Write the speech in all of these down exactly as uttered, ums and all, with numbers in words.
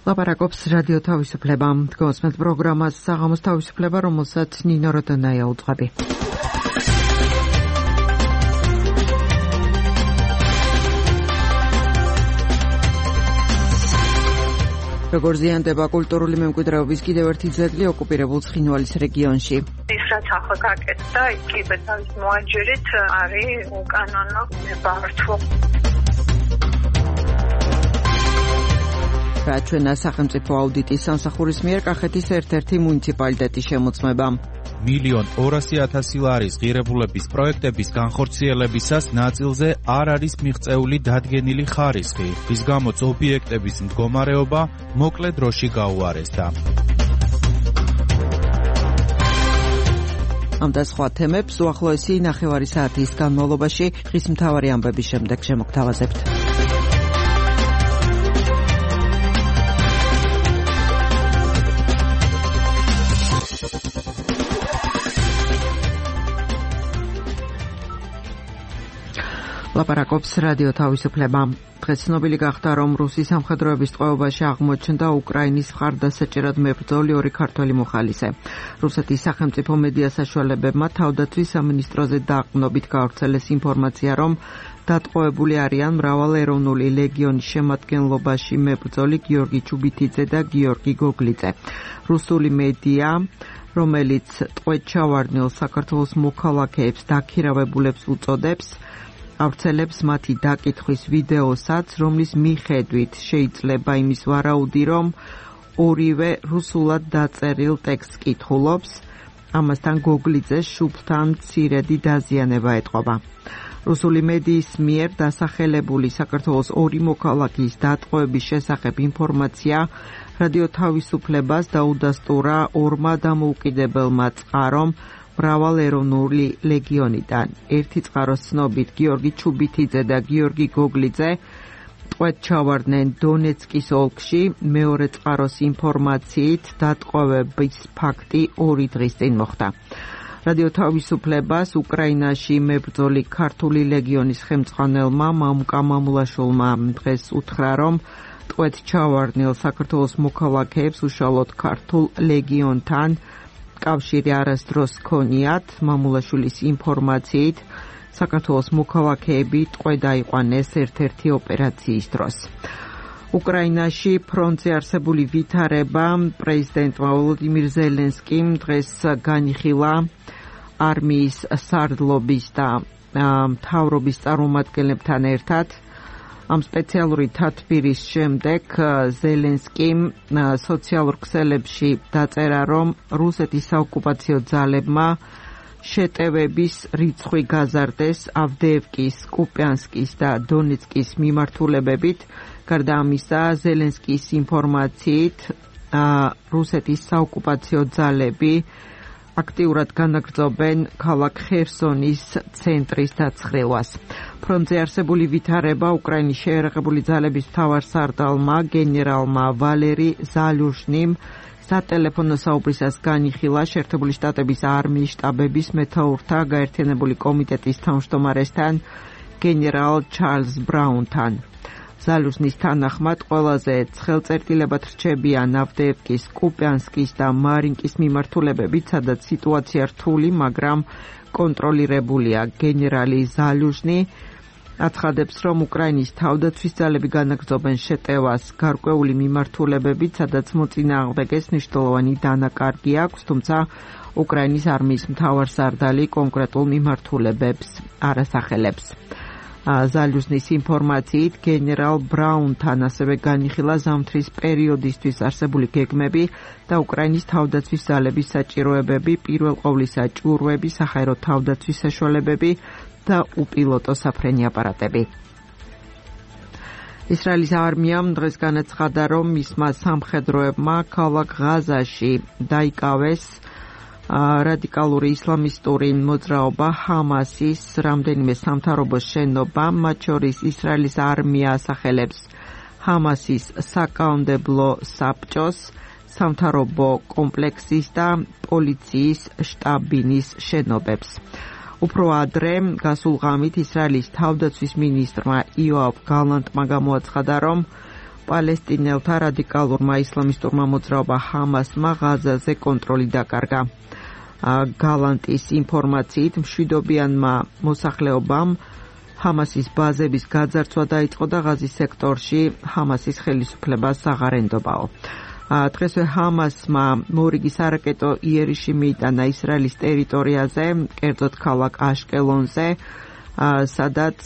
ლაპარაკობს რადიო თავისუფლება. დგოსმეთ პროგრამას საღამოს თავისუფლება, რომელსაც ნინო როდონაია უძღვები. როგორ ზიანდება კულტურული მემკვიდრეობის კიდევ ერთი ძეგლი ოკუპირებულ ცხინვალის რეგიონში. ის რაც ახლა გაკეთდა, ის კიბეძავის მოაჯერით არის უკანონო ნებართვა. რაჩვენა სახელმწიფო აუდიტის სამსახურის მიერ კახეთის ერთ-ერთი მუნიციპალიტეტი შემოწმება. მილიონ ორასი ათასი ლარის ღირებულების პროექტების განხორციელებისას ნაწილზე არ არის მიღწეული დადგენილი ხარისხი, რის გამოც ობიექტების მდგომარეობა მოკლე დროში გაუარესდა. ამ და სხვა თემებს უახლოესი ნახევარი საათის განმავლობაში ხის მთავარი ამბების შემდეგ შემოგთავაზებთ. ლაპარაკობს რადიო თავისუფლება. დღეს ცნობილი გახდა, რომ რუსის სამხედროების ტყვეობაში აღმოჩნდა უკრაინის მხარდასაჭერად მებრძოლი ორი ქართველი მოხალისე. რუსეთის სახელმწიფო მედია საშუალებებმა თავდაცვის სამინისტროზე დაყრდნობით გავრცელეს ინფორმაცია, რომ დატყვევებული არიან მრავალეროვნული ლეგიონის შემადგენლობაში მებრძოლი გიორგი ჩუბითიძე და გიორგი გოგლიძე. რუსული მედია, რომელიც ტყვედ ჩავარდნილ საქართველოს მოქალაქეებს დაქირავებულებს უწოდებს, ავრცელებს მათი დაკითხვის ვიდეოსაც, რომლის მიხედვით შეიძლება იმის ვარაუდი, რომ ორივე რუსულად დაწერილ ტექსტს კითხულობს, ამასთან გოგლიძეს შუბლთან მცირედი დაზიანება ეტყობა. რუსული მედიის მიერ დასახელებული საქართველოს ორი მოქალაქის დატყვევების შესახებ ინფორმაცია რადიო თავისუფლებას დაუდასტურა ორმა დამოუკიდებელმა წყარომ მრავალეროვნული ლეგიონიდან. ერთი წყაროს ცნობით გიორგი ჩუბითიძე და გიორგი გოგლიძე ტყვედ ჩავარდნენ დონეცკის ოლქში, მეორე წყაროს ინფორმაციით დატყვევების ფაქტი ორი დღის წინ მოხდა. რადიო თავისუფლებას უკრაინაში მებრძოლი ქართული ლეგიონის ხელმძღვანელმა მამუკა მამულაშვილმა დღეს უთხრა, რომ ტყვედ ჩავარდნილ საქართველოს მოქალაქეებს უშუალოდ ქართულ ლეგიონთან კავშირი არასდროს ჰქონიათ. მამულაშვილის ინფორმაციით საქართველოს მოქალაქეები ტყვედ აიყვანეს ერთ-ერთი ოპერაციის დროს. უკრაინაში ფრონტზე არსებული ვითარება პრეზიდენტმა ვოლოდიმირ ზელენსკიმ დღეს განიხილა არმიის სარდლობის და მთავრობის წარმომადგენლებთან ერთად. ამ სპეციალური თათბირის შემდეგ ზელენსკიმ სოციალურ ქსელებში დაწერა, რომ რუსეთის საოკუპაციო ძალებმა შეტევების რიცხვი გაზარდეს ავდეევკის, კუპიანსკის და დონეცკის მიმართულებებით. გარდა ამისა, ზელენსკის ინფორმაციით რუსეთის საოკუპაციო ძალები აქტიურად განაგრძობენ ქალაქ ხერსონის ცენტრის დაცხრილვას. ფრონტზე არსებული ვითარება უკრაინის შეიარაღებული ძალების მთავარსარდალმა გენერალმა ვალერი ზალუჟნიმ სატელეფონო საუბრისას განიხილა შეერთებული შტატების არმიის შტაბების მეთაურთა გაერთიანებული კომიტეტის თავმჯდომარესთან გენერალ ჩარლზ ბრაუნთან. ზალუჟნის თანახმად ყველაზე ცხელწერტილებად რჩებიან ავდეევკის, კუპიანსკის და მარინკის მიმართულებებით, სადაც სიტუაცია რთული, მაგრამ კონტროლირებულია. გენერალი ზალუჟნი აცხადებს, რომ უკრაინის თავდაცვის ძალები განაგრძობენ შეტევას გარკვეული მიმართულებებით, სადაც მოწინააღმდეგეს მნიშვნელოვანი დანაკარგი აქვს, თუმცა უკრაინის არმიის მთავარსარდალი კონკრეტულ მიმართულებებს არ ასახელებს. ზალუჟნის ინფორმაციით გენერალ ბრაუნთან ასევე განიხილა ზამთრის პერიოდისთვის არსებული გეგმები და უკრაინის თავდაცვის ძალების საჭიროებები, პირველ ყოვლისა ჭურვები, საჰაერო თავდაცვის საშუალებები და უპილოტო საფრენი აპარატები. ისრაელის არმიამ დღეს განაცხადა, რომ მისმა სამხედროებმა ქალაქ ღაზაში დაიკავეს რადიკალური ისლამისტური მოძრაობა ჰამასის რამდენიმე სამთავრობო შენობა, მათ შორის ისრაელის არმია ასახელებს ჰამასის საკანონმდებლო საბჭოს, სამთავრობო კომპლექსის და პოლიციის შტაბინის შენობებს. უფრო ადრე გასულ ღამით ისრაელის თავდაცვის მინისტრმა იოავ გალანტმა გამოაცხადა, რომ პალესტინელთა რადიკალურმა ისლამისტურმა მოძრაობა ჰამასმა ღაზაზე კონტროლი დაკარგა. გალანტის ინფორმაციით მშვიდობიანმა მოსახლეობამ ჰამასის ბაზების გაძარცვა დაიწყო და ღაზის სექტორში ჰამასის ხელისუფლებას აღარ დღესვე ჰამასმა მორიგი სარაკეტო იერიში მიიტანა ისრაელის ტერიტორიაზე, კერძოდ ქალაქ აშკელონზე, სადაც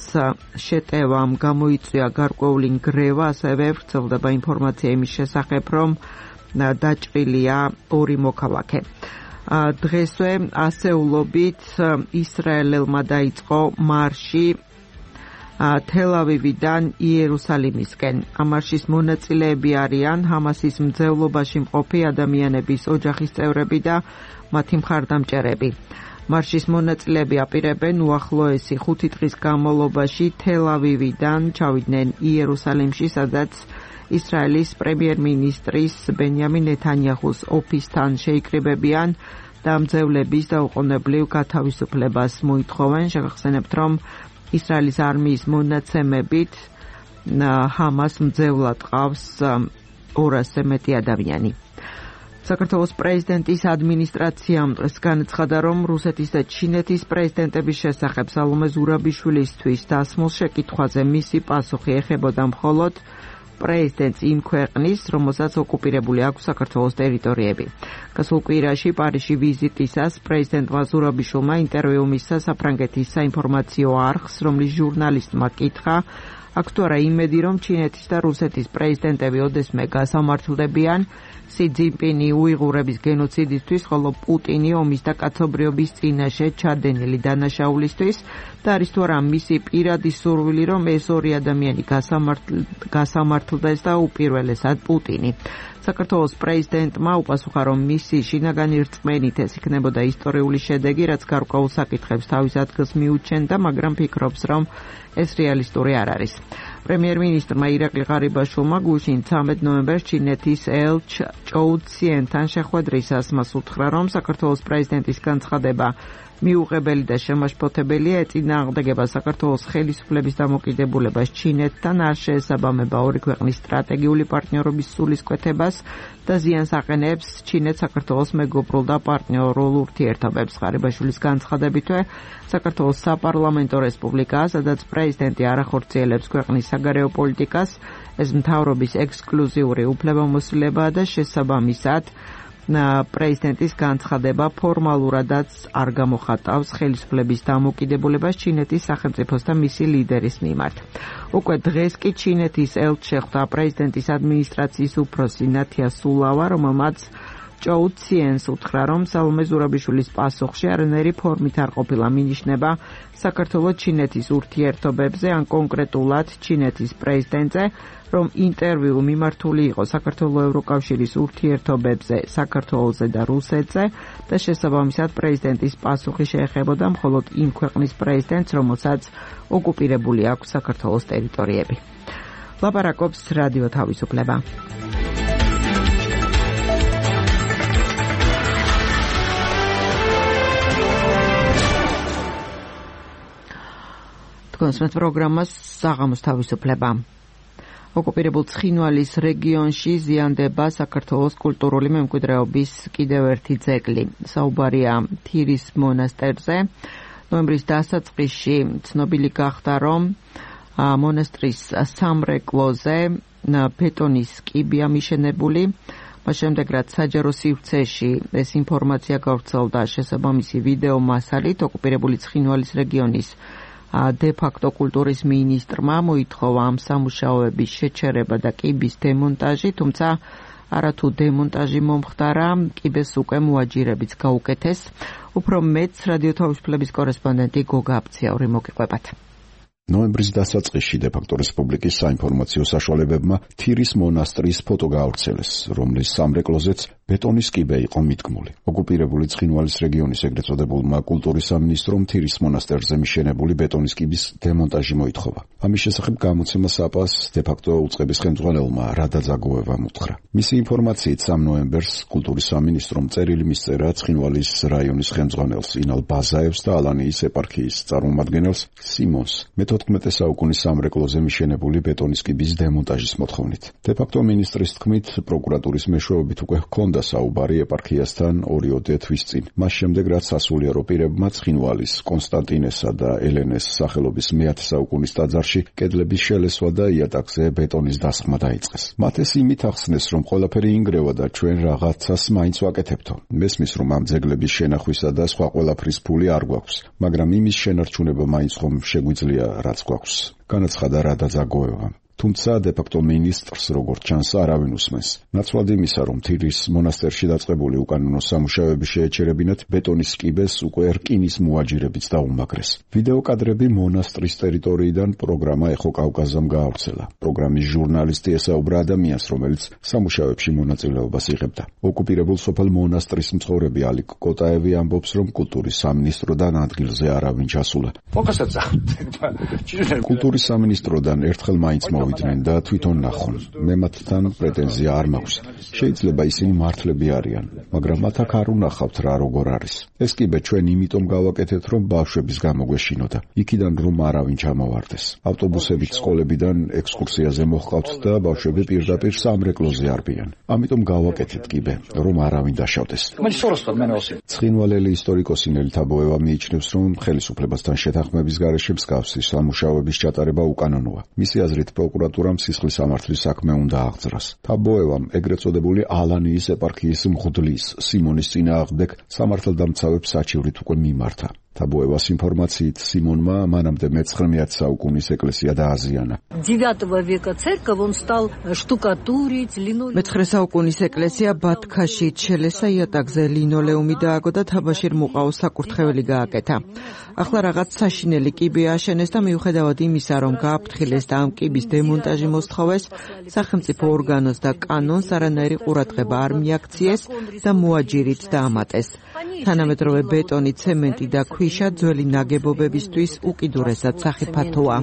შეტევამ გამოიწვია გარკვეული ნგრევა, ასევე ვრცელდება ინფორმაცია იმის შესახებ, რომ დაჭრილია ორი მოქალაქე. დღესვე ასეულობით ისრაელელმა დაიწყო მარში თელ-ავივიდან იერუსალიმისკენ. ამ მარშის მონაწილეები არიან ჰამასის მძევლობაში მყოფი ადამიანების ოჯახის წევრები და მათი მხარდამჭერები. მარშის მონაწილეები აპირებენ უახლოესი ხუთი დღის განმავლობაში თელ-ავივიდან ჩავიდნენ იერუსალიმში, სადაც ისრაელის პრემიერ-მინისტრის ბენიამინ ნეთანიაჰუს ოფისთან შეიკრიბებიან და მძევლების დაუყოვნებლივ გათავისუფლებას მოითხოვენ. შეგახსენებთ, რომ ისრაელის არმიის მონაცემებით ჰამას მძევლად ყავს ორასზე მეტი ადამიანი. საქართველოს პრეზიდენტის ადმინისტრაციამ დღეს განაცხადა, რომ რუსეთის და ჩინეთის პრეზიდენტების შესახებ სალომე ზურაბიშვილისთვის დასმულ შეკითხვაზე მისი პასუხი ეხებოდა მხოლოდ პრეზიდენტს იმ ქვეყნის, რომელსაც ოკუპირებული აქვს საქართველოს ტერიტორიები. გასულ კვირაში პარიზში ვიზიტისას პრეზიდენტმა ზურაბიშვილმა ინტერვიუ მისცა საფრანგეთის საინფორმაციო არხს, რომლის ჟურნალისტმა კითხა, აქვს თუ არა იმედი, რომ ჩინეთის და რუსეთის პრეზიდენტები ოდესმე გასამართლდებიან სი ძინპინი უიღურების გენოციდისთვის, ხოლო პუტინი ომის და კაცობრიობის წინაშე ჩადენილი დანაშაულისთვის და არის თუ არა მისი პირადი სურვილი, რომ ეს ორი ადამიანი გასამართლდეს და უპირველესად პუტინი. საქართველოს პრეზიდენტმა უპასუხა, რომ მისი შინაგანი რწმენით ეს იქნებოდა ისტორიული შედეგი, რაც გარკვეულ საკითხებს თავის ადგილს მიუჩენდა, მაგრამ ფიქრობს, რომ ეს რეალისტური არ არის. პრემიერ-მინისტრმა ირაკლი ღარიბაშვილმა გუშინ ცამეტ ნოემბერს ჩინეთის ელჩ ჭოუ ციენთან შეხვედრისას მას უთხრა, რომ საქართველოს პრეზიდენტის განცხადება მიუღებელი და შემაშფოთებელია, ეწინააღმდეგება საქართველოს ხელისუფლების დამოკიდებულებას ჩინეთთან, არ შეესაბამება ორი ქვეყნის სტრატეგიული პარტნიორობის სულისკვეთებას და ზიანს აყენებს ჩინეთს საქართველოს მეგობრულ და პარტნიორულ ურთიერთობებს. ღარიბაშვილის განცხადებითვე საქართველოს საპარლამენტო რესპუბლიკაა, სადაც პრეზიდენტი არ ახორციელებს ქვეყნის საგარეო პოლიტიკას, ეს მთავრობის ექსკლუზიური უფლებამოსილებაა და შესაბამისად პრეზიდენტის განცხადება ფორმალურადაც არ გამოხატავს ხელისუფლების დამოკიდებულებას ჩინეთის სახელმწიფოს და მისი ლიდერის მიმართ. უკვე დღეს კი ჩინეთის ელჩს შეხვდა პრეზიდენტის ადმინისტრაციის უფროსი ნათია სულავა, რომელმაც ჭოუ ციენს უთხრა, რომ სალომე ზურაბიშვილის პასუხში არანაირი ფორმით არ ყოფილა მინიშნება საქართველოს-ჩინეთის ურთიერთობებზე, ან კონკრეტულად ჩინეთის პრეზიდენტზე, რომ ინტერვიუ მიმართული იყო საქართველოს ევროკავშირის ურთიერთობებზე საქართველოზე და რუსეთზე და შესაბამისად პრეზიდენტის პასუხი შეეხებოდა მხოლოდ იმ ქვეყნის პრეზიდენტს, რომელსაც ოკუპირებული აქვს საქართველოს ტერიტორიები. ლაპარაკობს რადიო თავისუფლება. კონსმეთ პროგრამას საღამოს თავისუფლება. ოკუპირებულ ცხინვალის რეგიონში ზიანდება საქართველოს კულტურული მემკვიდრეობის კიდევ ერთი ძეგლი. საუბარია თირის მონასტერზე. ნოემბრის დასაწყისში ცნობილი გახდა, რომ მონასტრის სამრეკლოზე ბეტონის კიბია მიშენებული. მას შემდეგ, რაც საჯარო სივრცეში ეს ინფორმაცია გავრცელდა შესაბამისი ვიდეო მასალით, ოკუპირებული ცხინვალის რეგიონის დე-ფაქტო კულტურის მინისტრმა მოითხოვა ამ სამუშაოების შეჩერება და კიბის დემონტაჟი, თუმცა არათუ დემონტაჟი მომხდარა, კიბეს უკვე მოაჯირებიც გაუკეთეს. უფრო მეც რადიო თავისუფლების კორესპონდენტი გოგა აბციაური მოგიყვებათ. ნოემბრის დასაწყისში დე-ფაქტო რესპუბლიკის საინფორმაციო საშუალებებმა თირის მონასტრის ფოტო გაავრცელეს, რომლის სამრეკლოზეც ბეტონის კიბე იყო მიდგმული. ოკუპირებული ცხინვალის რეგიონის ეგრეთ წოდებულმა კულტურის სამინისტრომ თირის მონასტერზე მიშენებული ბეტონის კიბის დემონტაჟი მოითხოვა. ამის შესახებ გამოცემა საპას დე-ფაქტო უწყების ხელმძღვანელმა რადა ზაგოევამ უთხრა. მისი ინფორმაციით სამ ნოემბერს კულტურის სამინისტრომ წერილი მისწერა ცხინვალის რაიონის ხელმძღვანელს ინალ ბაზაევს და ალანიის ეპარქიის წარმომადგენელს სიმონს. მეთოდე მეთოთხმეტე საუკუნის სამრეკლოზე მიშენებული ბეტონის კიბის დემონტაჟის მოთხოვნით. დე-ფაქტო მინისტრის თქმით, პროკურატურის მეშვეობით უკვე ჰქონდა საუბარი ეპარქიასთან ორიოდე თვის წინ. მას შემდეგ, რაც სასულიერო პირებმა ცხინვალის, კონსტანტინესა და ელენეს სახელობის მეათე საუკუნის ტაძარში კედლების შელესვა და იატაკზე ბეტონის დასხმა დაიწყეს. მათ ეს იმით ახსნეს, რომ ყველაფერი ინგრევა და ჩვენ რაღაცას მაინც ვაკეთებთო. მესმის, რომ ამ ძეგლების შენახვისა და სხვა ყველაფრის ფული არ გვაქვს, მაგრამ იმის შენარჩუნება მაინც ხომ შეგვიძლია რაც გვაქვს. განაცხადა რადა ზაგოევამ. თუმცა დე-ფაქტო მინისტრს როგორც ჩანს არავინ უსმენს. ნაცვლად იმისა, რომ თირის მონასტერში დაწყებული უკანონო სამუშაოები შეეჩერებინათ, ბეტონის კიბეს უკვე რკინის მოაჯირებიც დაუმაგრეს. ვიდეო კადრები მონასტრის ტერიტორიიდან პროგრამა ეხო კავკაზამ გაავრცელა. პროგრამის ჟურნალისტი ესაუბრა ადამიანს, რომელიც სამუშაოებში მონაწილეობას იღებდა. ოკუპირებულ სოფელ მონასტრის მცხოვრები ალიკ კოტაევი ამბობს, რომ კულტურის სამინისტროდან ადგილზე არავინ ჩასულა. კულტურის სამინისტროდან ერთხელ მაინც მოვიდნენ და თვითონ ნახონ. მე მათთან პრეტენზია არ მაქვს. შეიძლება ისინი მართლები არიან, მაგრამ მათ აქ არ უნახავთ რა როგორ არის. ეს კიბე ჩვენ იმიტომ გავაკეთეთ, რომ ბავშვების გამოგვეშინოდა. იქიდან რომ არავინ ჩამოვარდეს. ავტობუსებით სკოლებიდან ექსკურსიაზე მოჰყავთ და ბავშვები პირდაპირ სამრეკლოზე არბიან. ამიტომ გავაკეთეთ კიბე, რომ არავინ დაშავდეს. ცხინვალელი ისტორიკოსი ნელი თაბოევა მიიჩნევს, რომ ხელისუფლებასთან შეთანხმების გარეშე მსგავსი სამუშაოების ჩატარება უკანონოა. მისი აზრით პროკურატურამ სისხლის სამართლის საქმე უნდა აღძრას. თაბოევამ ეგრეთ წოდებული ალანიის ეპარქიის მღვდლის სიმონის წინააღმდეგ სამართალდამცავებს საჩივრით უკვე მიმართა. თაბოევას ინფორმაციით სიმონმა მანამდე მეცხრმეათე საუკუნის ეკლესია დააზიანა. მეცხრე საუკუნის ეკლესია ბათქაშით შელესა, იატაკზე ლინოლეუმი დააგო და თაბაშირ მუყაოს საკურთხეველი გააკეთა. ახლა რაღაც საშინელი კიბე ააშენეს და მიუხედავად იმისა, რომ გააფრთხილეს და ამ კიბის დემონტაჟი მოსთხოვეს, სახელმწიფო ორგანოს და კანონს არანაირი ყურადღება არ მიაქციეს და მოაჯირით დაამატეს. თანამედროვე ბეტონი, ცემენტი და ქვიშა ძველი ნაგებობებისთვის უკიდურესად სახიფათოა.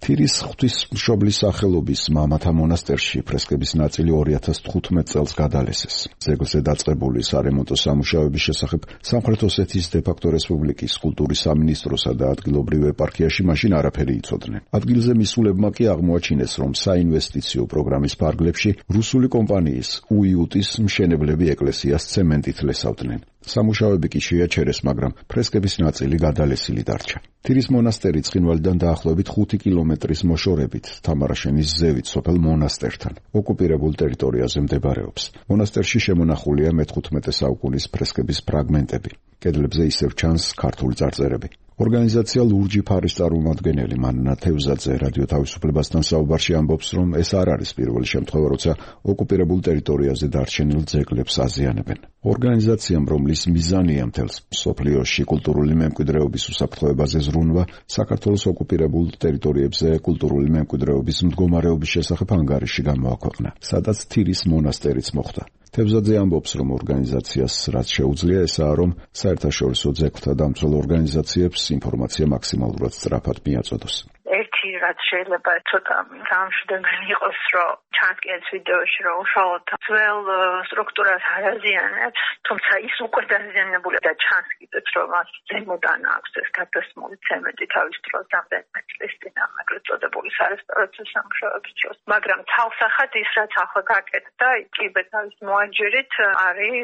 თირის ღვთისმშობლის სახელობის მამათა მონასტერში ფრესკების ნაწილი ორი ათას თხუთმეტ წელს გადალესეს. ძეგლზე დაწყებული სარემონტო სამუშაოების შესახებ სამხრეთ ოსეთის დე-ფაქტო რესპუბლიკის კულტურის სამინისტროსა და ადგილობრივ ეპარქიაში მაშინ არაფერი იცოდნენ. ადგილზე მისულებმა კი აღმოაჩინეს, რომ საინვესტიციო პროგრამის ფარგლებში რუსული კომპანიის უიუტის მშენებლები ეკლესიას ცემენტით ლესავდნენ. სამუშაოები კი შეაჩერეს, მაგრამ ფრესკების ნაწილი გადალესილი დარჩა. თირის მონასტერი ცხინვალიდან დაახლოებით ხუთი კილომეტრის მოშორებით, თამარაშენის ზევით სოფელ მონასტერთან, ოკუპირებულ ტერიტორიაზე მდებარეობს. მონასტერში შემონახულია მეთხუთმეტე საუკუნის ფრესკების ფრაგმენტები. კედლებზე ისევ ჩანს ქართული წარწერები. ორგანიზაცია ლურჯი ფარის წარმომადგენელი მანნა თევზაძე რადიო თავისუფლებასთან საუბარში ამბობს, რომ ეს არ არის პირველი შემთხვევა, როცა ოკუპირებულ ტერიტორიაზე დარჩენილ ძეგლებს აზიანებენ. ორგანიზაციამ, რომლის მიზანია მთელს მსოფლიოში კულტურული მემკვიდრეობის უსაფრთხოებაზე ზრუნვა, საქართველოს ოკუპირებულ ტერიტორიებზე კულტურული მემკვიდრეობის მდგომარეობის შესახებ ანგარიში გამოაქვეყნა, სადაც თირის მონასტერიც მოხვდა. თევზაძე ამბობს, რომ ორგანიზაციას რაც შეუძლია ესაა, რომ საერთაშორისო ძეგლთა დამცველ ორგანიზაციებს ინფორმაცია მაქსიმალურად სწრაფად მიაწოდოს. ერთი რაც შეიძლება ცოტა გამშვიდობელი იყოს, რომ ჩანს კი ეს ვიდეოში, რომ უშუალოდ ძველ სტრუქტურას არ აზიანებს, თუმცა ის უკვე დაზიანებული და ჩანს კიდეც, რომ მას ზემოდან აქვს ეს გადასმული ცემენტი თავის დროს რამდენიმე წლის წინ აღარ წოდებული სარესტავრაციო სამუშაოების დროს. მაგრამ თავსახად ის რაც ახლა გაკეთდა, კიბე თავის მოაჯირით არის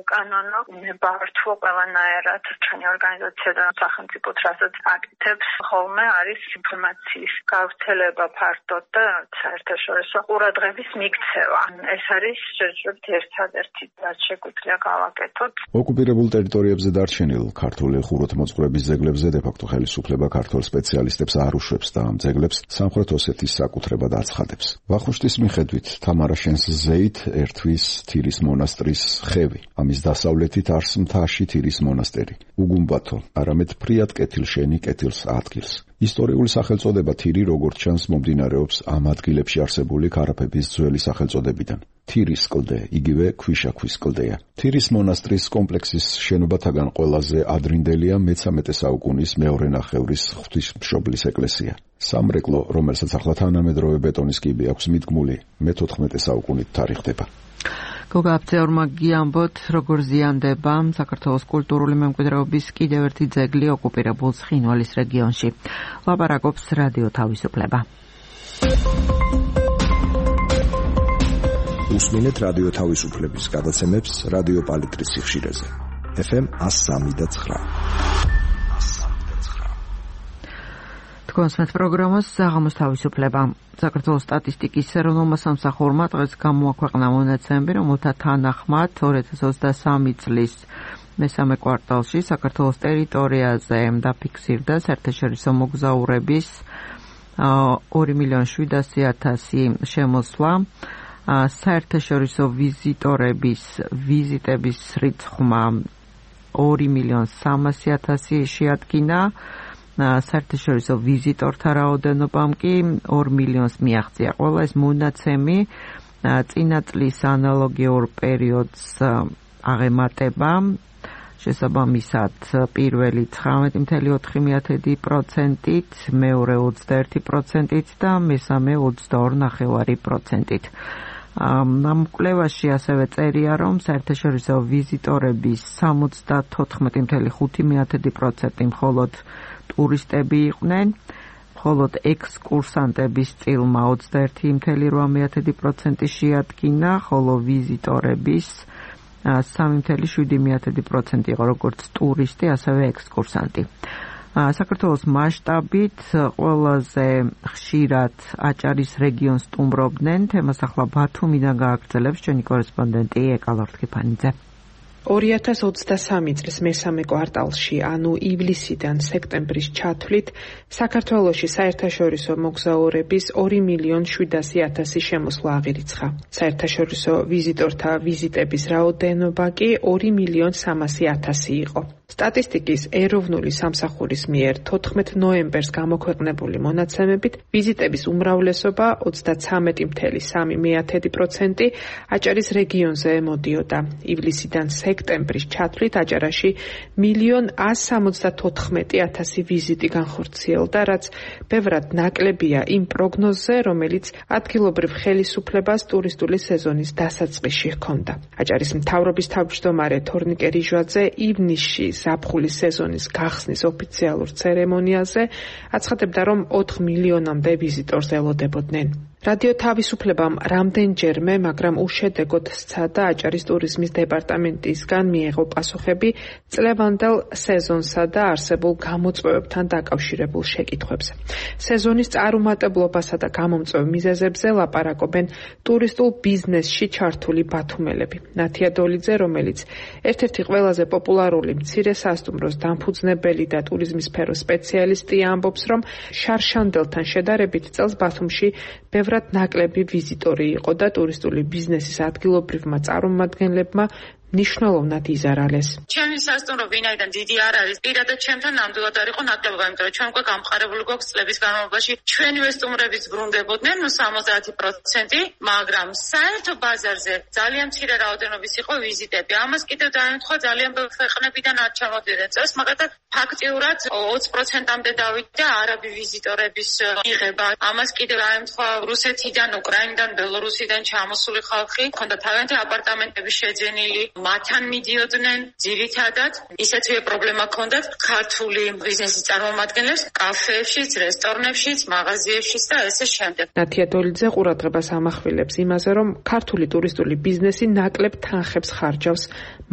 უკანონო, ნებართვო ყველანაირად ჩვენი ორგანიზაცია და სახელმწიფო რასაც აკეთებს, ხოლმე არის ინფორმაციის გავრცელება ფართოდ და საერთაშორისო ყურადღების მიქცევა. ეს არის შეიძლება ერთადერთი რაც შეგვიძლია გავაკეთოთ. ოკუპირებულ ტერიტორიებზე დარჩენილ ქართული ხუროთმოძღვრების ძეგლებზე დე-ფაქტო ხელისუფლება ქართულ სპეციალისტებს არ უშვებს და ამ ძეგლებს სამხრეთ ოსეთის საკუთრებად აცხადებს. ვახუშტის მიხედვით თამარაშენს ზეით ერთვის თირის მონასტრის ხევი. ამის დასავლეთით არს მთაში თირის მონასტერი. უგუმბათო, არამედ ფრიად კეთილშენი კეთილს ადგილს. ისტორიული სახელწოდება თირი როგორც ჩანს მომდინარეობს ამ ადგილებში არსებული ქარაფების ძველი სახელწოდებიდან. თირის კლდე, იგივე ქვიშაქვის კლდეა. თირის მონასტრის კომპლექსის შენობათაგან ყველაზე ადრინდელია მეცამეტე საუკუნის მეორე ნახევრის ღვთისმშობლის ეკლესია. სამრეკლო, რომელსაც ახლა თანამედროვე ბეტონის კიბე აქვს მიდგმული, მეთოთხმეტე საუკუნით თარიღდება. გოგა აფცეორმა გიამბოთ, როგორ ზიანდება საქართველოს კულტურული მემკვიდრეობის კიდევ ერთი ძეგლი ოკუპირებულ ცხინვალის რეგიონში. ლაპარაკობს რადიო თავისუფლება. უსმინეთ რადიო თავისუფლების გადაცემებს რადიო პალიტრის სიხშირეზე. ეფ ემ one oh three point nine. თქვენს პროგრამას საღამოს თავისუფლება. საქართველოს სტატისტიკის ეროვნულმა სამსახურმა დღეს გამოაქვეყნა მონაცემები, რომელთა თანახმად ორი ათას ოცდასამი წლის მესამე კვარტალში საქართველოს ტერიტორიაზე დაფიქსირდა საერთაშორისო მოგზაურების ორი მილიონი შვიდასი ათასი შემოსვლა. საერთაშორისო ვიზიტორების ვიზიტების რიცხვმა ორი მილიონი სამასი ათასი შეადგინა. საერთაშორისო ვიზიტორთა რაოდენობამ კი ორ მილიონს მიაღწია. ყველა ეს მონაცემი წინა წლის ანალოგიურ პერიოდს აღემატება. შესაბამისად, პირველი ცხრამეტი კoma ოთხი პროცენტით, მეორე ოცდაერთი პროცენტით და მესამე ოცდაორი კoma პέντε პროცენტით. ამ კვლევაში ასევე წერია, რომ საერთაშორისო ვიზიტორების სამოცდათოთხმეტი კoma ხუთი პროცენტი მხოლოდ ტურისტები იყვნენ, მხოლოდ ექსკურსანტების წილმა ოცდაერთი კoma რვა პროცენტი შეადგინა, ხოლო ვიზიტორების სამი კoma შვიდი პროცენტი იყო როგორც ტურისტი, ასევე ექსკურსანტი. საქართველოს მასშტაბით ყველაზე ხშირად აჭარის რეგიონს სტუმრობდნენ. თემას ახლა ბათუმიდან გააგრძელებს ჩვენი კორესპონდენტი ეკა ლორთქიფანიძე. ორი ათას ოცდასამი წლის მესამე კვარტალში, ანუ ივლისიდან სექტემბრის ჩათვლით, საქართველოში საერთაშორისო მოგზაურების ორი მილიონი შვიდასი ათასი შემოსვლა აღირიცხა. საერთაშორისო ვიზიტორთა ვიზიტების რაოდენობა კი ორი მილიონი სამასი ათასი იყო. სტატისტიკის ეროვნული სამსახურის მიერ თოთხმეტ ნოემბერს გამოქვეყნებული მონაცემებით ვიზიტების უმრავლესობა ოცდაცამეტი კoma სამი პროცენტი აჭარის რეგიონზე ემოდიოდა. ივლისიდან სექტემბრის ჩათვლით აჭარაში მილიონი ას სამოცდათოთხმეტი ათასი ვიზიტი განხორციელდა, რაც ბევრად ნაკლებია იმ პროგნოზზე, რომელიც ადგილობრივ ხელისუფლებას ტურისტული სეზონის დასაწყისში ჰქონდა. აჭარის მთავრობის თავმჯდომარე თორნიკე რიჟვაძე ივნისში ზაფხულის სეზონის გახსნის ოფიციალურ ცერემონიაზე აცხადებდა, რომ ოთხ მილიონამდე ვიზიტორს ელოდებოდნენ. რადიო თავისუფლებამ რამდენჯერმე, მაგრამ უშედეგოდ სცადა აჭარის ტურიზმის დეპარტამენტისგან მიეღო პასუხები წლევანდელ სეზონსა და არსებულ გამოწვევებთან დაკავშირებულ შეკითხვებზე. სეზონის წარუმატებლობასა და გამომწვევ მიზეზებზე ლაპარაკობენ ტურისტულ ბიზნესში ჩართული ბათუმელები. ნათია დოლიძე, რომელიც ერთ-ერთი ყველაზე პოპულარული მცირე სასტუმროს დამფუძნებელი და ტურიზმის სფეროს სპეციალისტი, ამბობს, რომ შარშანდელთან შედარებით წელს ბათუმში ბევრად ნაკლები ვიზიტორი იყო და ტურისტული ბიზნესის ადგილობრივმა წარმომადგენლებმა ნიშნულოვნად იზარალეს. ჩემი სასტუმრო ვინაიდან დიდი არ არის, პირადად ჩემთან ნამდვილად არ იყო ნაკლებობა, იმიტომ რომ ჩვენ უკვე გამყარებული გვაქვს წლების განმავლობაში ჩვენივე სტუმრებიც ბრუნდებოდნენ, ნუ სამოცდაათი პროცენტი, მაგრამ საერთო ბაზარზე ძალიან მცირე რაოდენობის იყო ვიზიტები. ამას კიდევ დაემთხვა ძალიან ბევრ ქვეყნებიდან არ ჩამოდიოდნენ წელს, მაგალითად ფაქტიურად ოცი პროცენტამდე დავიდა არაბი ვიზიტორების მიღება. ამას კიდევ დაემთხვა რუსეთიდან, უკრაინიდან, ბელორუსიდან ჩამოსული ხალხი, ჰქონდა თავიანთი აპარტამენტები შეძენილი. მათთან მიდიოდნენ ძირითადად ისეთივე პრობლემა ჰქონდათ ქართული ბიზნესის წარმომადგენლებს კაფეებშიც, რესტორნებშიც, მაღაზიებშიც და ესე შემდეგ. ნათია დოლიძე ყურადღებას ამახვილებს იმაზე, რომ ქართული ტურისტული ბიზნესი ნაკლებ თანხებს ხარჯავს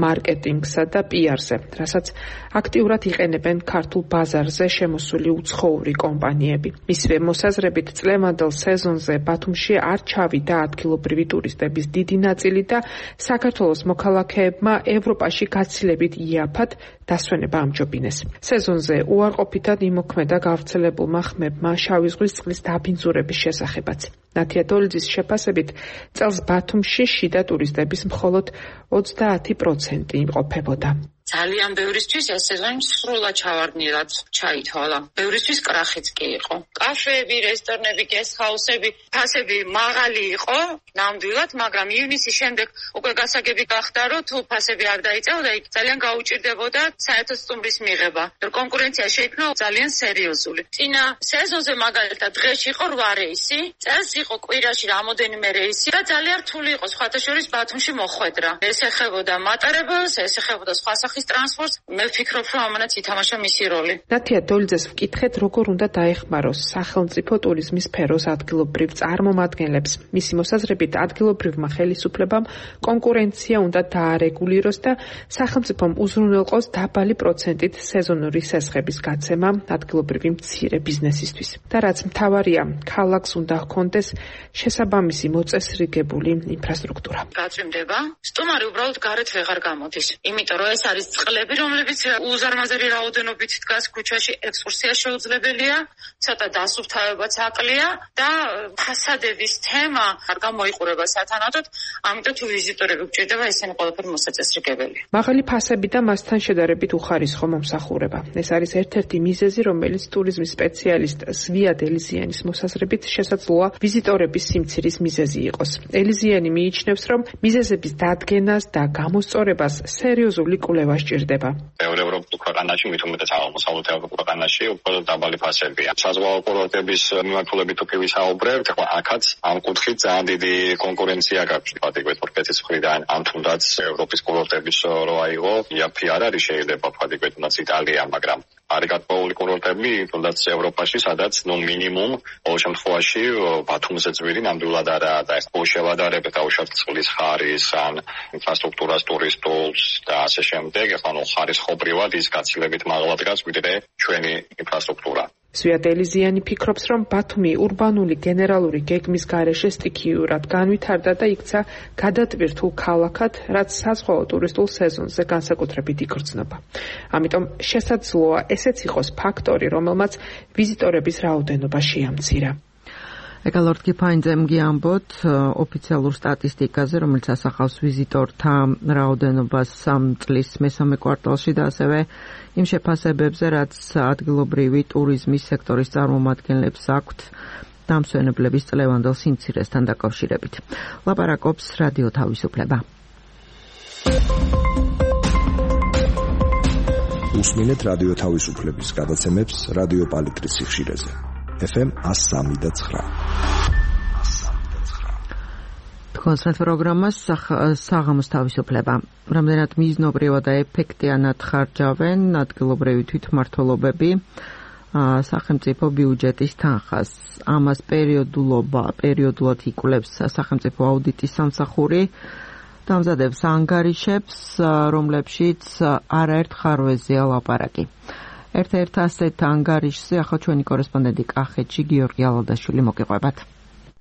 მარკეტინგსა და პიარზე, რასაც აქტიურად იყენებენ ქართულ ბაზარზე შემოსული უცხოური კომპანიები. მისივე მოსაზრებით წლევანდელ სეზონზე ბათუმში არ ჩავიდა ადგილობრივი ტურისტების დიდი ნაწილი და საქართველოს მოქალაქეებმა ევროპაში გაცილებით იაფად დასვენება ამჯობინეს. სეზონზე უარყოფითად იმოქმედა გავრცელებულმა ხმებმა შავი ზღვის წყლის დაბინძურების შესახებაც. ნათია დოლიძის შეფასებით წელს ბათუმში შიდა ტურისტების მხოლოდ ოცდაათი პროცენტი იმყოფებოდა. ძალიან ბევრისთვის ეს სეზონი სრულად ჩავარდნილად ჩაითვალა. ბევრისთვის კრახიც კი იყო. კაფეები, რესტორნები, გესტჰაუსები, ფასები მაღალი იყო ნამდვილად, მაგრამ ივნისის შემდეგ უკვე გასაგები გახდა, რომ თუ ფასები არ დაიწევდა, იქ ძალიან გაუჭირდებოდა საერთო სტუმრის მიღება. კონკურენცია შეიქმნა ძალიან სერიოზული. წინა სეზონზე მაგალითად დღეში იყო რვა რეისი, წელს იყო კვირაში რამოდენიმე რეისი და ძალიან რთული იყო სხვათა შორის ბათუმში მოხვედრა. ეს ეხებოდა მატარებელს, ეს ეხებოდა სხვა სახის ტრანსპორტს. მე ვფიქრობ, რომ ამანაც ითამაშა მისი როლი. ნათია დოლიძეს ვკითხეთ, როგორ უნდა დაეხმაროს სახელმწიფო ტურიზმის სფეროს ადგილობრივ წარმომადგენლებს. მისი მოსაზრებით, ადგილობრივმა ხელისუფლებამ კონკურენცია უნდა დაარეგულიროს და სახელმწიფომ უზრუნველყოს დაბალი პროცენტით სეზონური სესხების გაცემა ადგილობრივი მცირე ბიზნესისთვის. და რაც მთავარია, ქალაქს უნდა ჰქონდეს შესაბამისი მოწესრიგებული ინფრასტრუქტურა. გაწვიმდება, სტუმარი უბრალოდ გარეთ ვეღარ გამოდის. იმიტომ რომ ეს არის წყლები, რომლებიც უზარმაზარი რაოდენობით დგას ქუჩაში, ექსკურსია შეუძლებელია, ცოტა დასუფთავებაც აკლია და ფასადების თემა არ გამოიყურება სათანადოდ, ამიტომ თუ ვიზიტორები გჭირდება, ესენი ყველაფერი მოსაწესრიგებელია. მაღალი ფასები და მასთან შედარებით უხარისხო მომსახურება. ეს არის ერთ-ერთი მიზეზი, რომელიც ტურიზმის სპეციალისტ ზვიად ელიზიანის მოსაზრებით შესაძლოა ვიზიტორების სიმცირის მიზეზი იყოს. ელიზიანი მიიჩნევს, რომ მიზეზების დადგენას და გამოსწორებას სერიოზული კვლევა სჭირდება. ევროპულ ქვეყანაში, მით უმეტეს აღმოსავლეთ ევროპულ ქვეყანაში უფრო დაბალი ფასებია. საზღვაო კურორტების მიმართულებით თუ კი ვისაუბრებთ, აქაც ამ კუთხით ძალიან დიდი კონკურენცია გაქვს, ვთქვათ, თურქეთის მხრიდან, ამ თუნდაც ევროპის კურორტების რო აიღო, იაფი არ არის შეიძლება, ვთქვათ, თუნდაც იტალია, მაგრამ არის გათხოვილი კურორტები, თუნდაც ევროპაში, სადაც ნუ მინიმუმ ყოველ შემთხვევაში ბათუმზე ძვირი ნამდვილად არაა და ეს შევადარებით დაუშვათ წყლის ხარისხს, ან ინფრასტრუქტურას, ტურისტულს და ასე შემდეგ, ახლა ნუ ხარისხობრივად ის გაცილებით მაღლა დგას ვიდრე ჩვენი ინფრასტრუქტურა. ზვიად ელიზიანი ფიქრობს, რომ ბათუმი ურბანული გენერალური გეგმის გარეშე სტიქიურად განვითარდა და იქცა გადატვირთულ ქალაქად, რაც საზღვაო ტურისტულ სეზონზე განსაკუთრებით იგრძნობა. ამიტომ შესაძლოა ესეც იყოს ფაქტორი, რომელმაც ვიზიტორების რაოდენობა შეამცირა. ეკალორდ კიფაინძემ გიამბოთ ოფიციალურ სტატისტიკაზე, რომელიც ასახავს ვიზიტორთა რაოდენობას სამ წლის მესამე კვარტალში და ასევე იმ შეფასებებზე, რაც ადგილობრივი ტურიზმის სექტორის წარმომადგენლებს აქვთ დამსვენებლების წლევანდელ სიმცირესთან დაკავშირებით. ლაპარაკობს რადიო თავისუფლება. უსმინეთ რადიო თავისუფლების გადაცემებს რადიო პალიტრის სიხშირეზე. ეფ ემ one oh three და nine. კონცერტ პროგრამას საღამოს თავისუფლება. რამდენად მიზნობრივად და ეფექტიანად ხარჯავენ ადგილობრივი თვითმმართველობები სახელმწიფო ბიუჯეტის თანხას. ამას პერიოდულობა, პერიოდულად იკვლევს სახელმწიფო აუდიტის სამსახური, დამზადებს ანგარიშებს, რომლებშიც არაერთ ხარვეზეა ლაპარაკი. ერთ-ერთ ასეთ ანგარიშზე ახლა ჩვენი კორესპონდენტი კახეთში გიორგი ალადაშვილი მოგიყვებათ.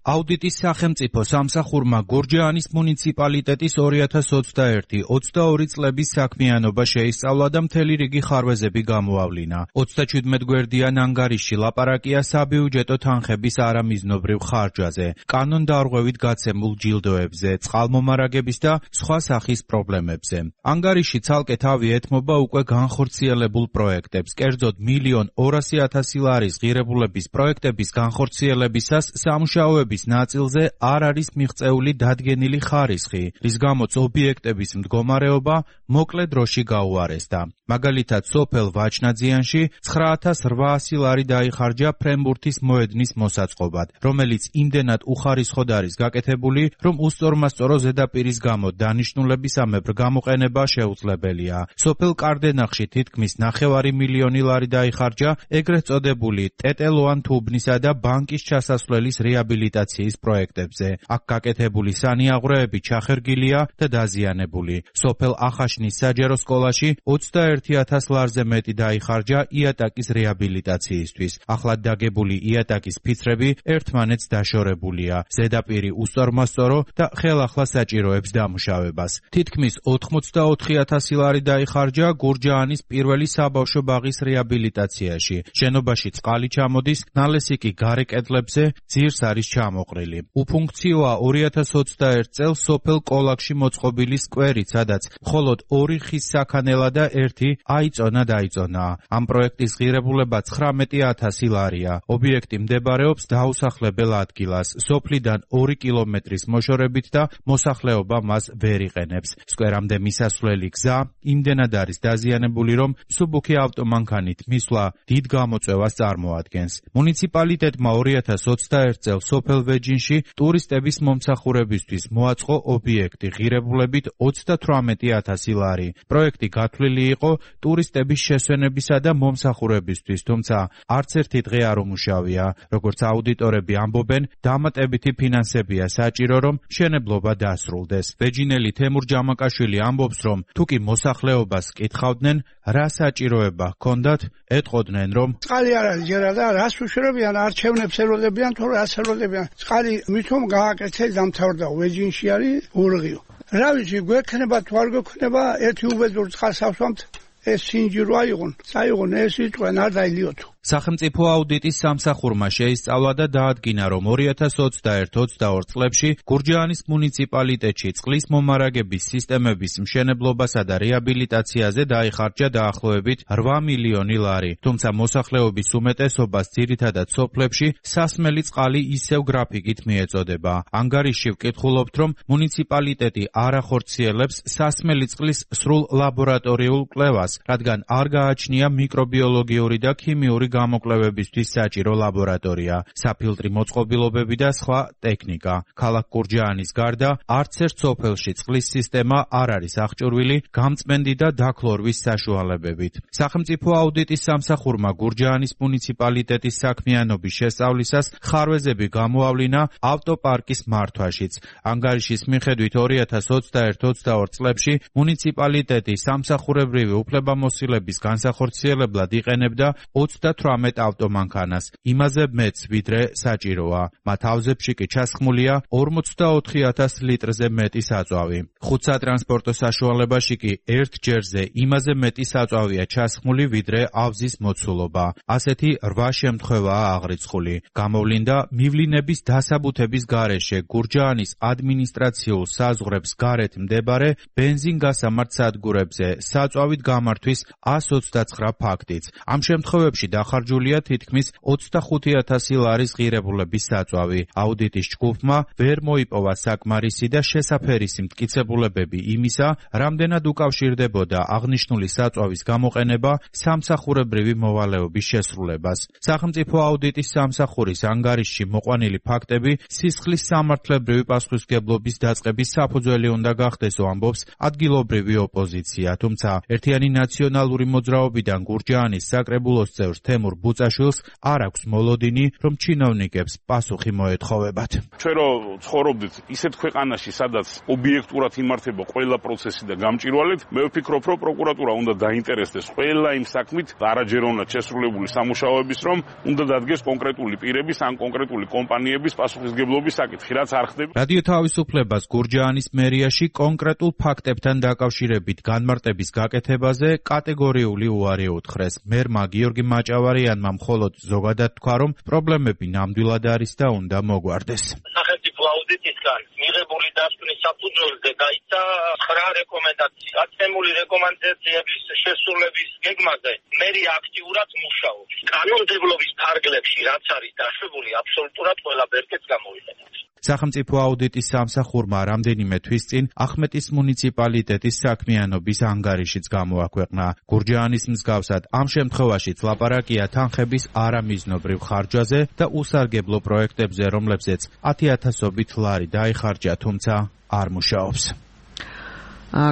აუდიტის სახელმწიფო სამსახურმა გორჯაანის მუნიციპალიტეტის ორი ათას ოცდაერთი ოცდაორი წლების საქმიანობა შეისწავლა და მთელი რიგი ხარვეზები გამოავლინა. ოცდაჩვიდმეტ გვერდიან ანგარიშში ლაპარაკია საბიუჯეტო თანხების არამიზნობრივ ხარჯაზე, კანონდარღვევით გაცემულ ჯილდოებზე, წყალმომარაგების და სხვა სახის პრობლემებზე. ანგარიში ცალკე თავი ეთმობა უკვე განხორციელებულ პროექტებს, კერძოდ მილიონ ორასი ათასი ლარის ღირებულების პროექტების განხორციელებისას სამუშაოები ნაწილზე არ არის მიღწეული დადგენილი ხარისხი, რის გამოც ობიექტების მდგომარეობა მოკლე დროში გაუარესდა. მაგალითად, სოფელ ვაჩნაძიანში ცხრა ათას რვაასი ლარი დაიხარჯა ფრენბურთის მოედნის მოსაწყობად, რომელიც იმდენად უხარისხოდ არის გაკეთებული, რომ უსწორმასწორო ზედაპირის გამო დანიშნულებისამებრ გამოყენება შეუძლებელია. სოფელ კარდენახში თითქმის ნახევარი მილიონი ლარი დაიხარჯა ეგრეთ წოდებული ტეტელოან თუბნისა და ბანკის ჩასასვლელის რეაბილიტაციის პროექტებზე. აქ გაკეთებული სანიაღვრეები ჩახერგილია და დაზიანებული. სოფელ ახაშნის საჯარო სკოლაში ოცდაერთი ათას ლარზე მეტი დაიხარჯა იატაკის რეაბილიტაციისთვის. ახლად დაგებული იატაკის ფიცრები ერთმანეთს დაშორებულია. ზედაპირი უსწორმასწორო და ხელახლა საჭიროებს დამუშავებას. თითქმის ოთხმოცდაოთხი ათასი ლარი დაიხარჯა გურჯაანის პირველი საბავშვო ბაღის რეაბილიტაციაში. შენობაში წყალი ჩამოდის, ნალესიკი გარე კედლებზე ძირს არის ჩამოყალიბებული. გამოყრილი. უფუნქციოა ორი ათას ოცდაერთ წელს სოფელ კოლაკში მოწყობილი სკვერი, სადაც მხოლოდ ორი ხის საქანელა და ერთი აიწონა დაიწონა. ამ პროექტის ღირებულება ცხრამეტი ათასი ლარია. ობიექტი მდებარეობს დაუსახლებელ ადგილას, სოფლიდან ორი კილომეტრის მოშორებით და მოსახლეობა მას ვერ იყენებს. სკვერამდე მისასვლელი გზა იმდენად არის დაზიანებული, რომ მსუბუქი ავტომანქანით მისვლა დიდ გამოწვევას წარმოადგენს. მუნიციპალიტეტმა ორი ათას ოცდაერთ წელს სოფელ ვეჯინში ტურისტების მომსახურებისთვის მოაწყო ობიექტი ღირებულებით ოცდათვრამეტი ათასი ლარი. პროექტი გათვლილი იყო ტურისტების შესვენებისა და მომსახურებისთვის, თუმცა არც ერთი დღე არ უმუშავია. როგორც აუდიტორები ამბობენ, დამატებითი ფინანსებია საჭირო, რომ მშენებლობა დასრულდეს. ვეჯინელი თემურ ჯამაკაშვილი ამბობს, რომ თუკი მოსახლეობას კითხავდნენ, რა საჭიროება ჰქონდათ, ეტყოდნენ, რომ წყალი არ არის ჯერა და რას უშრებიან, არჩევნებს ელოდებიან, თუ რას ელოდებიან. წყალი მithom გააკეთეს დამთავრდა, ვეჯინში არის ურღიო. რა ვიცი, გვექნება თუ არ გვექნება, ერთი უბედურ წყალს ავსვამთ, ეს სინჯირო აიღონ, წაიღონ, ეს იწყენ, არ დაილიოთო. სახელმწიფო აუდიტის სამსახურმა შეისწავლა და დაადგინა, რომ ორი ათას ოცდაერთ ოცდაორ წლებში გურჯაანის მუნიციპალიტეტში წყლის მომარაგების სისტემების მშენებლობასა და რეაბილიტაციაზე დაიხარჯა დაახლოებით რვა მილიონი ლარი. თუმცა მოსახლეობის უმეტესობას ძირითადად სოფლებში სასმელი წყალი ისევ გრაფიკით მიეწოდება. ანგარიშში ვკითხულობთ, რომ მუნიციპალიტეტი არ ახორციელებს სასმელი წყლის სრულ ლაბორატორიულ კვლევას, რადგან არ გააჩნია მიკრობიოლოგიური და ქიმიური გამოკვლევებისთვის საჭირო ლაბორატორია, საფილტრი მოწყობილობები და სხვა ტექნიკა. ქალაქ გურჯაანის გარდა არც ერთ სოფელში წყლის სისტემა არ არის აღჭურვილი გამწმენდი და დაქლორვის საშუალებებით. სახელმწიფო აუდიტის სამსახურმა გურჯაანის მუნიციპალიტეტის საქმიანობის შესწავლისას ხარვეზები გამოავლინა ავტოპარკის მართვაშიც. ანგარიშის მიხედვით ორი ათას ოცდაერთ ოცდაორ წლებში მუნიციპალიტეტი სამსახურებრივი უფლებამოსილების განსახორციელებლად იყენებდა ოცდათვრამეტ ავტომანქანას, იმაზე მეც ვიდრე საჭიროა. მათ ავზებში კი ჩასხმულია ორმოცდაოთხი ათას litrზე მეტი საწვავი. ხუთ სატრანსპორტო საშუალებაში კი ერთ ჯერზე იმაზე მეტი საწვავია ჩასხმული, ვიდრე ავზის მოცულობა. ასეთი რვა შემთხვევაა აღრიცხული. გამოვლინდა მივლინების დასაბუთების გარეშე გურჯაანის ადმინისტრაციულ საზღვრებს გარეთ მდებარე ბენზინგასამართ სადგურებზე საწვავით გამართვის ას ოცდაცხრა ფაქტიც. ამ შემთხვევებში დახარჯულია თითქმის ოცდახუთი ათასი ლარის ღირებულების საწვავი. აუდიტის ჯგუფმა ვერ მოიპოვა საკმარისი და შესაფერისი მტკიცებულებები იმისა, რამდენად უკავშირდებოდა აღნიშნული საწვავის გამოყენება სამსახურებრივი მოვალეობის შესრულებას. სახელმწიფო აუდიტის სამსახურის ანგარიშში მოყვანილი ფაქტები სისხლის სამართლებრივი პასუხისმგებლობის დაწყების საფუძველი უნდა გახდესო, ამბობს ადგილობრივი ოპოზიცია. თუმცა ერთიანი ნაციონალური მოძრაობიდან გურჯაანის საკრებულოს წევრ თემურ ბუწაშვილს არ აქვს მოლოდინი, რომ ჩინოვნიკებს პასუხი მოეთხოვებათ. ჩვენ რო ცხოვრობდით ისეთ ქვეყანაში, სადაც ობიექტურად იმართება ყველა პროცესი და გამჭირვალედ, მე ვფიქრობ, რომ პროკურატურა უნდა დაინტერესდეს ყველა იმ საქმით, არაჯეროვნად შესრულებული სამუშაოების, რომ უნდა დადგეს კონკრეტული პირების ან კონკრეტული კომპანიების პასუხისმგებლობის საკითხი, რაც არ ხდება. რადიო თავისუფლებას გურჯაანის მერიაში კონკრეტულ ფაქტებთან დაკავშირებით განმარტების გაკეთებაზე კატეგორიული უარი უთხრეს. მერმა გიორგი მაჭავარიანმა მხოლოდ ზოგადად თქვა, რომ პრობლემები ნამდვილად არის და უნდა მოგვარდეს. სახელმწიფო აუდიტისგან მიღებული დასკვნის საფუძველზე გაიცა ცხრა რეკომენდაცია. გაცემული რეკომენდაციების შესრულების გეგმაზე მერი აქტიურად მუშაობს. კანონმდებლობის ფარგლებში რაც არის დაშვებული, აბსოლუტურად ყველა ბერკეტს გამოიყენებს. სახელმწიფო აუდიტის სამსახურმა რამდენიმე თვის წინ ახმეტის მუნიციპალიტეტის საქმიანობის ანგარიშიც გამოაქვეყნა. გურჯაანის მსგავსად ამ შემთხვევაშიც ლაპარაკია თანხების არამიზნობრივ ხარჯვაზე და უსარგებლო პროექტებზე, რომლებზეც ათი ათასობით ლარი დაიხარჯა, თუმცა არ მუშაობს.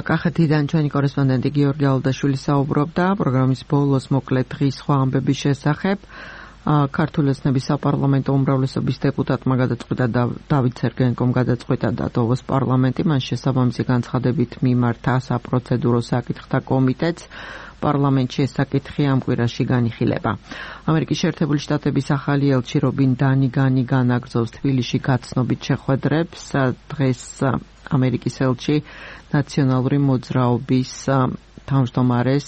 კახეთიდან ჩვენი კორესპონდენტი გიორგი ალდაშვილი საუბრობდა პროგრამის ბოლოს მოკლედ დღის სხვა ამბების შესახებ. ქართული ოცნების საპარლამენტო უმრავლესობის დეპუტატმა გადაწყვიტა და დავით სერგენკომ გადაწყვიტა დატოვოს პარლამენტი, მან შესაბამისი განცხადებით მიმართა საპროცედურო საკითხთა კომიტეტს. პარლამენტში ეს საკითხი ამ კვირაში განიხილება. ამერიკის შეერთებული შტატების ახალი ელჩი რობინ დანიგანი განაგრძობს თბილისში გაცნობით შეხვედრებს. დღეს ამერიკის ელჩი ნაციონალური მოძრაობის თავმჯდომარეს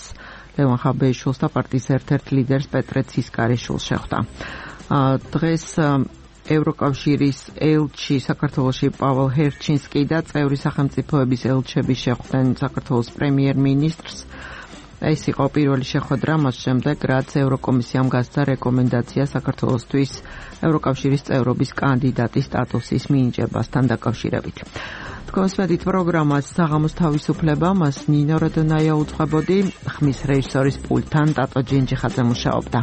ლევან ხაბეიშვილს და პარტიის ერთ-ერთ ლიდერს პეტრე ცისკარიშვილს შეხვდა. დღეს ევროკავშირის ელჩი საქართველოში პაველ ჰერჩინსკი და წევრი სახელმწიფოების ელჩები შეხვდნენ საქართველოს პრემიერ-მინისტრს. ეს იყო პირველი შეხვედრა მას შემდეგ, რაც ევროკომისიამ გასცა რეკომენდაცია საქართველოსთვის ევროკავშირის წევრობის კანდიდატის სტატუსის მინიჭებასთან დაკავშირებით. თქვენს მედით პროგრამას საღამოს თავისუფლება, მას ნინო როდონაია უძღვებოდი, ხმის რეჟისორის პულტთან ტატო ჯინჯიხაძე მუშაობდა.